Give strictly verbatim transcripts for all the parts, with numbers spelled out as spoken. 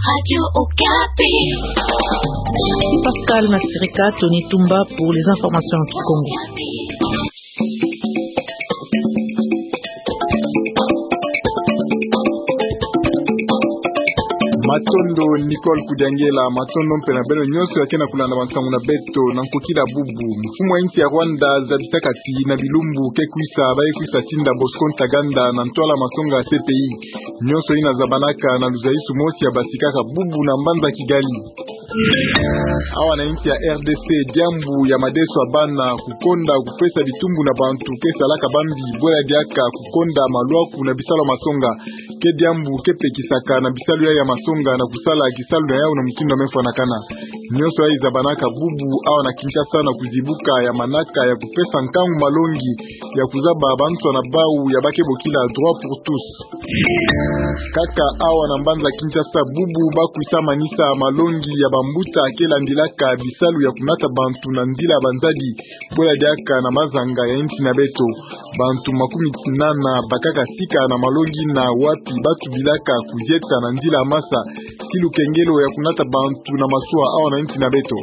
Radio Okapi. Pascal Masirika, Tony Tumba pour les informations en kikongo. Matondo Nicole Kudiangela, matondo mpe na beno nyonso ya ke na kulanda bansangu na beto na nkokila bubu. Mfumu ya insi ya Rwanda zabisaka ti na bilumbu ke kwisa, ba ye kwisa tinda Bosco Ntaganda na ntwala masonga ya C P I. Nyonso yina zabanaka na luzaisu mosi ya basikaka bubu na mbanza Kigali. Awa na insi ya R D C, diambu ya madeso ya bana kukonda kupesa bitumbu na bantu ke salaka bambi, bwela diaka kukonda malwaku na bisalu ya masonga, ke diambu ke pekisaka na bisalu yai ya masonga na kusala kisalu na yau na mutindu ya mefwanakana. Nyonso yai zabanaka bubu awa na Kinshasa na kuzibuka ya manaka ya kupesa nkangu malongi ya kuzaba bansoni bau ya ba ke bokila droit pour tous. Kaka awa na mbanza Kinshasa bubu ba kwisa manisa malongi ya bambuta ke landilaka bisalu ya kunata bantu na nzila ya banzadi, bwela diaka na mazanga ya insi na beto. Bantu makumi nana bakaka sika na malongi na wapi ba tubilaka kuzieta na nzila ya masa, ti lukengelo ya kunata bantu na masuwa awa na insi na beto.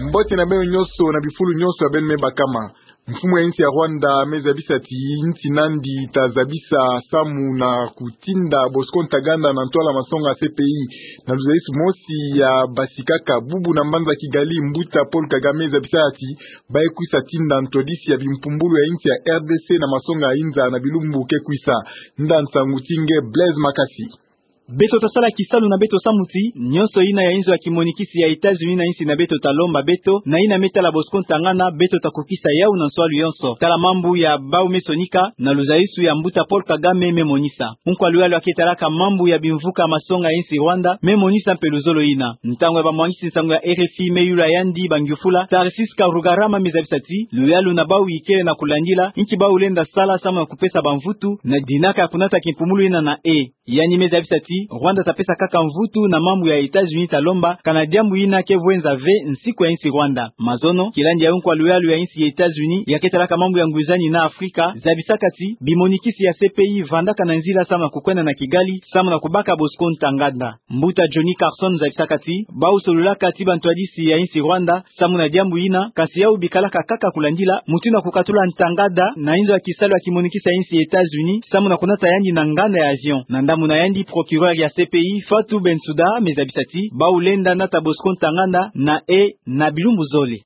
Mbote na beno nyonso na bifulu nyonso ya beno me bakama. Mfumu ya insi ya Rwanda me zabisa ti insi nandi ta zabisa samu na kutinda Bosco Ntaganda na ntwala masonga ya C P I. Na luzaisu mosi ya basikaka bubu na mbanza Kigali, mbuta Paul Kagame zabisa ti ba ye kwisa tinda ntwadisi ya bimpumbulu ya insi ya R D C na masonga ya inza na bilumbu ke kwisa. Nda nsangu ti nge Blaise Makasi. Beto ta sala kisalu na beto samu ti nyonso yina ya inzo ya kimonikisi ya États-Unis na insi na beto ta lomba beto, na yina me tala Bosco Ntaganda, beto ta kukisa yau na nswalu yonso. Tala mambu ya bau me sonika na luzaisu ya mbuta Paul Kagame me monisa. Unkwa luyalu ya ke talaka mambu ya bimvuka masonga ya insi Rwanda me monisa mpe luzolo yina. Ntangu ya bamwangisi nsangu ya R F I me yula yandi bangyufula, Tarcisse Karugarama me zabisa ti luyalu na bau yikele na kulandila, inki bau lenda sala samu na kupesa bamvutu na dinaka ya kunata kimpumulu yina na e. Yandi me zabisa ti Rwanda ta pesa kaka mvutu na mambu ya États-Unis ta lomba, kana diambu yina ke vwenza ve nsiku ya insi Rwanda. Mazono, kilandi ya unkwa luyalu ya insi ya États-Unis ya ke talaka mambu ya ngwizani na Afrika zabisaka ti bimonikisi ya C P I vandaka na nzila samu na kukwenda na Kigali samu na kubaka Bosco Ntaganda. Mbuta Johnny Carson zabisaka ti bau solulaka ti bantwadisi ya insi Rwanda samu na diambu yina, kasi yau bikalaka kaka kulandila mutindu ya kukatula Ntaganda na inzo ya kisalu ya kimonikisi ya insi ya États-Unis samu na kunata yandi na nganda ya avion. Na ndambu na yandi, procureur ya C P I, Fatou Bensouda, me zabisa ti bau lenda nata Bosco Ntaganda na e na bilumbu zole.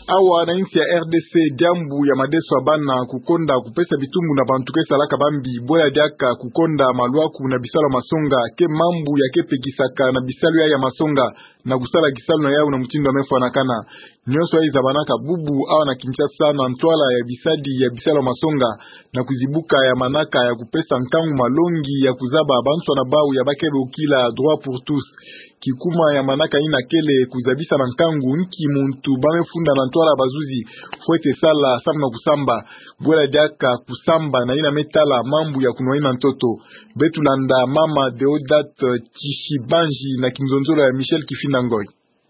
Awa na insi ya R D C, diambu ya madeso ya bana kukonda kupesa bitumbu na bantu ke salaka bambi, bwela diaka kukonda malwaku na bisalu ya masonga, ke mambu ya ke pekisaka na bisalu yai ya masonga na kusala kisalu na yau na mutindu ya mefwanakana. Nyonso yai zabanaka bubu awa na Kinshasa na ntwala ya bisadi ya bisalu ya masonga na kuzibuka ya manaka ya kupesa nkangu malongi ya kuzaba bansoni bau ya ba ke bokila droit pour tous. Kikuma ya manaka yina kele kuzabisa na nkangu inki muntu ba me funda na ntwala bazuzi fwete sala samu na kusamba, bwela diaka kusamba na yina me tala mambu ya kunwani na ntoto. Beto landa mama Deodate Tshibanji na kinzonzolo ya Michel Kifinda Ngoy.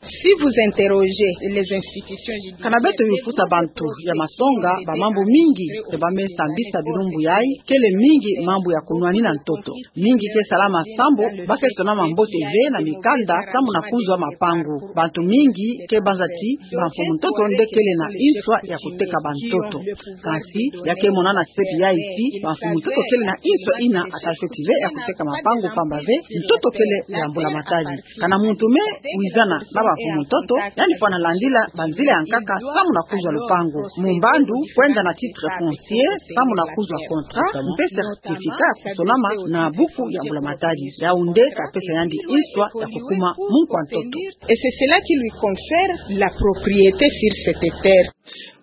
Si vous interrogez les institutions judiciaires, kana beto yufusa bantu ya masonga, ba mambu mingi nde ba me sambisa bilumbu yai, kele mingi mambu ya kunwani na ntoto. Mingi ke salama sambu ba ke sonama mbote ve na mikanda samu na kuzwa mapangu. Bantu mingi ke banza ti bamfumu ntoto nde kele na inswa ya kuteka bantoto. Kansi ya ke monana sepi yai ti bamfumu ntoto kele na inswa yina ata fioti ve ya kuteka mapangu, pamba ve ntoto kele ya mbula matadi. Kana muntu me wizana na bamfumu ntoto, yandi fwana landila banzila ya nkaka samu na kuzwa lupangu. Mu mbandu, kwenda na titre foncier samu na kuzwa contrat, mpe certificat ya kusonama na buku ya mbula matadi. Yau nde ta pesa yandi inswa ya kukuma munkwa ntoto. Et c'est cela qui lui confère la propriété sur cette terre.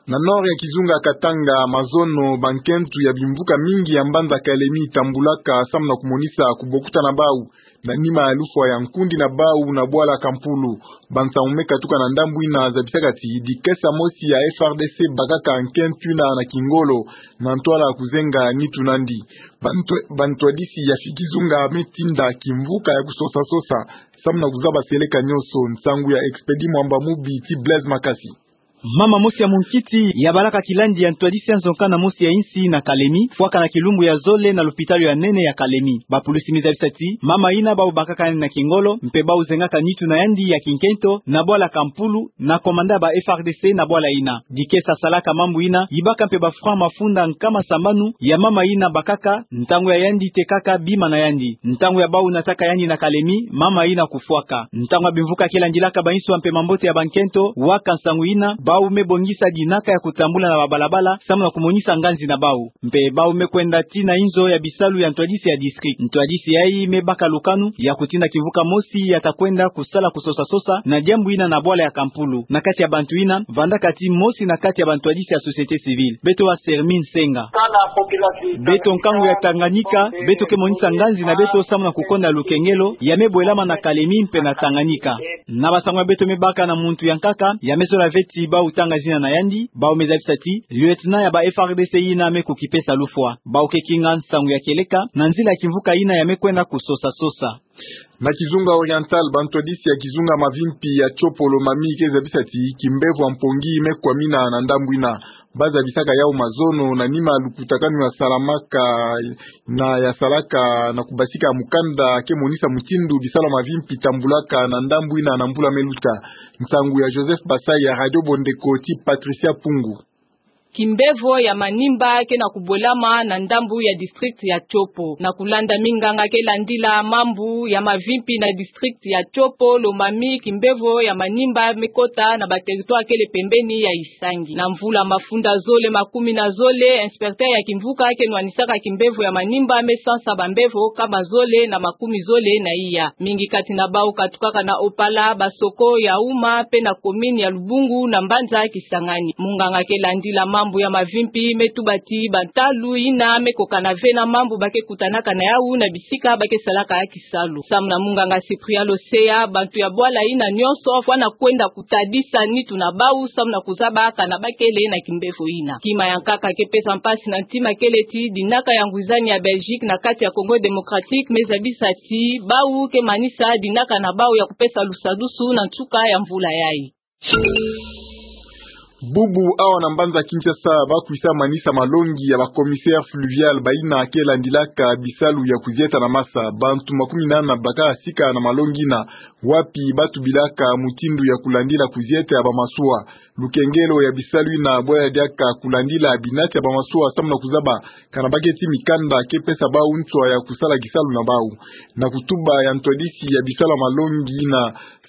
Na nord ya kizunga Katanga, mazono, bankentu ya bimvuka mingi ya mbanza Kalemie tambulaka samu na kumonisa kubokutana bau na nima ya lufwa ya nkundi na bau na bwala Kampulu. Bansangu me katuka na ndambu yina zabisaka ti dikesa mosi ya F A R D C bakaka nkentu yina na kingolo na ntwala kuzenga nitu nandi. Bantwa-, bantwadisi ya fi kizunga me tinda kimvuka ya kusosa-sosa samu na kuzaba seleka nyonso. Nsangu ya Expedit Mwamba Mubi ti Blaise Makasi. Mama mosi ya munkiti yabalaka kilandi ya ntwadisi ya nzonka na mosi ya insi na Kalemi, fwaka na kilumbu ya zole na lupitalu ya nene ya Kalemi. Bapulusi me zabisa ti mama ina bau bakaka yandi na kingolo, mpe bau zengaka nitu na yandi ya kinkento na bwala Kampulu, na komanda ba F R D C na bwala ina. Dikesa salaka mambu ina, yibaka mpe ba franc mafunda nkama sambanu ya mama ina bakaka, ntangu ya yandi tekaka bima na yandi. Ntangu ya bau nataka yandi na Kalemi, mama ina kufwaka. Ntangu ya bimvuka ke landilaka bainswa mpe mambote ya bankento, waka nsangu ina, bau me bongisa dinaka ya kutambula na babalabala, samu na kumonisa nganzi na bau. Mpe bau me kwenda tii na inzo ya bisalu ya ntwadisi ya district. Ntwadisi yayi me baka lukanu ya kutinda kimvuka mosi ya ta kwenda kusala kusosa-sosa na diambu ina na bwala ya Kampulu. Na kati ya bantu ina, vandaka tii mosi na kati ya bantwadisi ya société civile. Beto wa Sermine Senga. Beto nkangu ya Tanganyika, beto ke monisa nganzi na beto samu na kukonda lukengelo ya me bwelama na Kalemi mpe na Tanganyika. Na basango ya beto me baka na muntu ya nkaka, ya me zola ve ti bau tanga zina na yandi, bau me zabisa ti lieutenant ya ba F R D C ina me kukipesa lufwa. Bau ke kinga nsangu ya kieleka na nzila ya kimvuka ina ya me kwenda kusosa-sosa. Na kizunga oriental, bantwadisi ya kizunga Mavimpi ya Tshopo Lomami ke zabisa ti kimbevo ya mpongi me kwamina na ndambu ina. Ba zabisaka yau mazono na nima lukutakanu ya salamaka na ya salaka na kubasika mukanda ke monisa mutindu bisalu ya Mavimpi tambulaka na ndambu ina na mbula me luta. Nsangu ya Joseph Basai ya Radio Bondeko ti Patricia Pungu. Kimbevo ya manimba ke na kubwelama na ndambu ya district ya Tshopo. Na kulanda minganga ke landila mambu ya Mavimpi na district ya Tshopo Lomami, kimbevo ya manimba me kota na ba territoire kele pembeni ya Isangi. Na mvula mafunda zole makumi na zole, inspecteur ya kimvuka ke nwanisaka kimbevo ya manimba me sansa bambevo nkama zole na makumi zole na iya. Mingi kati na bau katukaka na Opala, Basoko, Yaouma, mpe na commune ya Lubungu na mbanza Kisangani. Munganga ke landila mambu ya Mavimpi me tuba ti bantalu ina me kokana ve na mambu ba ke kutanaka na yau na bisika ba ke salaka kisalu. Samu na munganga Cyprien Loseya, bantu ya bwala ina nyonso fwana kwenda kutadisa nitu na bau samu na kuzaba kana ba kele na kimbevo ina. Kima ya nkaka ke pesa mpasi na ntima kele ti dinaka ya ngwizani ya Belgique na kati ya Congo Démocratique me zabisa ti bau ke manisa dinaka na bau ya kupesa lusadusu na nsuka ya mvula yayi. Bubu awa na mbanza Kinshasa ba kwisa manisa malongi ya ba commissaire fluvial baina ke landilaka bisalu ya kuzieta na masa. Bantu makumi nana baka sika na malongi ina, wapi ba tubilaka mutindu ya kulandila kuzieta ya bamasuwa. Lukengelo ya bisalu ina bwa ya diaka kulandila binati ya bamasuwa samu na kuzaba kana ba keti mikanda ke pesa bau nswa ya kusala kisalu na bau. Na kutuba ya ntwadisi ya bisalu ya malongi ina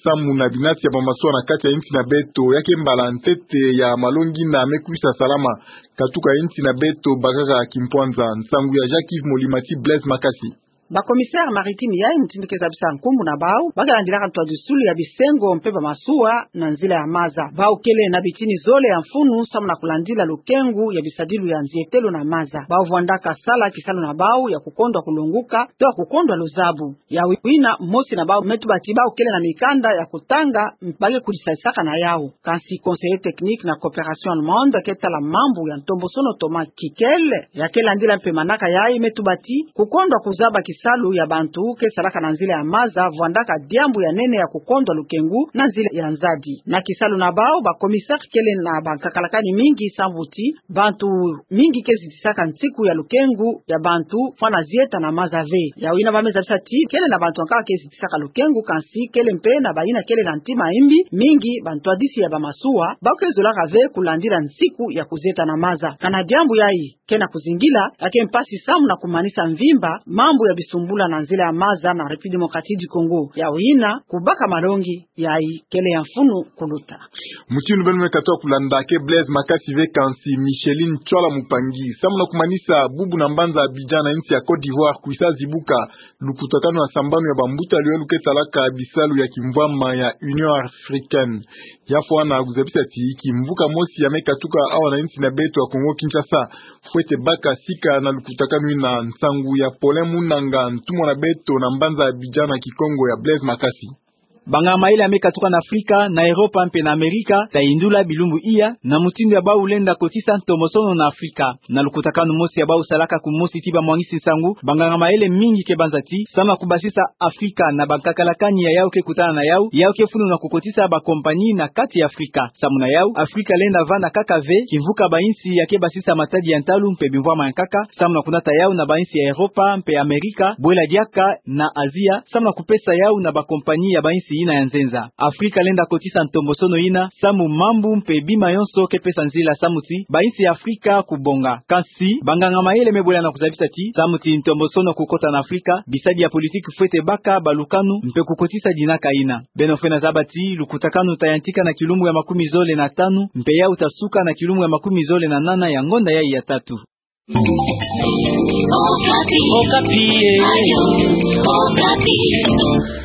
samu na binati ya bamasuwa na kati ya insi na beto, ya ke mbala ntete ya malongi ina me kwisa salama katuka insi na beto bakaka kimpwanza. Nsangu ya Jacques Yves Molima ti Blaise Makasi. Ba commissaire maritime yayi mutindu ke zabisa nkumbu na bau, ba ke landilaka ntwadisulu ya bisengo mpe bamasuwa na nzila ya maza. Bau kele na bitini zole ya mfunu samu na kulandila lukengu ya bisadilu ya nzietelo na maza. Bau vwandaka sala kisalu na bau ya kukondwa kulonguka, to ya kukondwa luzabu. Ya wina mosi na bau me tuba ti bau kele na mikanda ya kutanga, ba ke kudisadisaka na yau. Kansi conseiller technique na Coopération Allemande ke tala mambu ya ntombosono Thomas Kikele, ya ke landila mpe manaka yayi me tuba ti kukondwa kuzaba kisalu ya bantu ke salaka na nzila ya maza vwandaka diambu ya nene ya kukondwa lukengu na nzila ya nzadi. Na kisalu na bau, ba commissaire kele na bankakalakani mingi sambu ti bantu mingi ke zitisaka nsiku ya lukengu ya bantu fwana zieta na maza ve. Ya wina ba me zabisa ti kele na bantu ya nkaka ke zitisaka lukengu, kansi kele mpe na baina kele na ntima imbi. Mingi bantwadisi ya bamasuwa ba ke zolaka ve kulandila nsiku ya kuzieta na maza. Kana diambu yayi ke na kuzingila, ya ke mpasi samu na kumanisa mvimba mambu ya bisumbula na nzila ya maza na République Démocratique du Congo. Ya wina kubaka malongi yayi kele ya mfunu kuluta. Mutindu beno me katuka kulanda ke Blaise Makasi ve, kansi Micheline Tchwala Mupangi. Samu na kumanisa bubu na mbanza Abidjan na insi ya Côte d'Ivoire kwisa zibuka lukutakanu ya sambanu ya bambuta liwa lu ke talaka bisalu ya kimvwama ya Union Africaine. Ya fwana kuzabisa ti kimvuka mosi ya me katuka awa na insi na beto ya Congo Kinshasa, fwete baka sika na lukutakanu ina. Nsangu ya Paulin Munanga, ntumwa na beto na mbanza Abidjan na Kikongo ya Blaise Makasi. Banganga mayele ya me katuka na Afrika, na Europa mpe na Amerika, tayindula bilumbu iya, na mutindu ya bau lenda kotisa ntomosono na Afrika. Na lukutakanu mosi ya bau salaka kumosi ti bamwangisi nsangu, banganga mayele mingi ke banza ti, samu na kubasisa Afrika na bankakalakani ya yau ke kutana na yau, yau ke fulu na kukotisa bakompanyi na kati ya Afrika. Samu na yau, Afrika lenda vanda kaka ve kimvuka bainsi ya ke basisa matadi ya ntalu mpe bimvwama ya nkaka, samu na kunata yau na bainsi ya Europa mpe Amerika, bwela diaka na Azia, samu na kupesa yau na bakompanyi ya bainsi yina ya nzenza. Afrika lenda kotisa ntomosono yina, samu mambu mpe bima yonso ke pesa nzila samu ti bainsi ya Afrika kubonga. Kansi, banganga mayele me bwela na kuzabisa ti, samu ti ntomosono kukota na Afrika, bisadi ya politiki fwete baka balukanu mpe kukotisa dinaka yina. Beno fwene zaba ti, lukutakanu tayantika na kilumbu ya makumi zole na tanu, mpe yau tasuka na kilumbu ya makumi zole na nana ya ngonda yayi ya tatu. Okapi. Okapi, eh.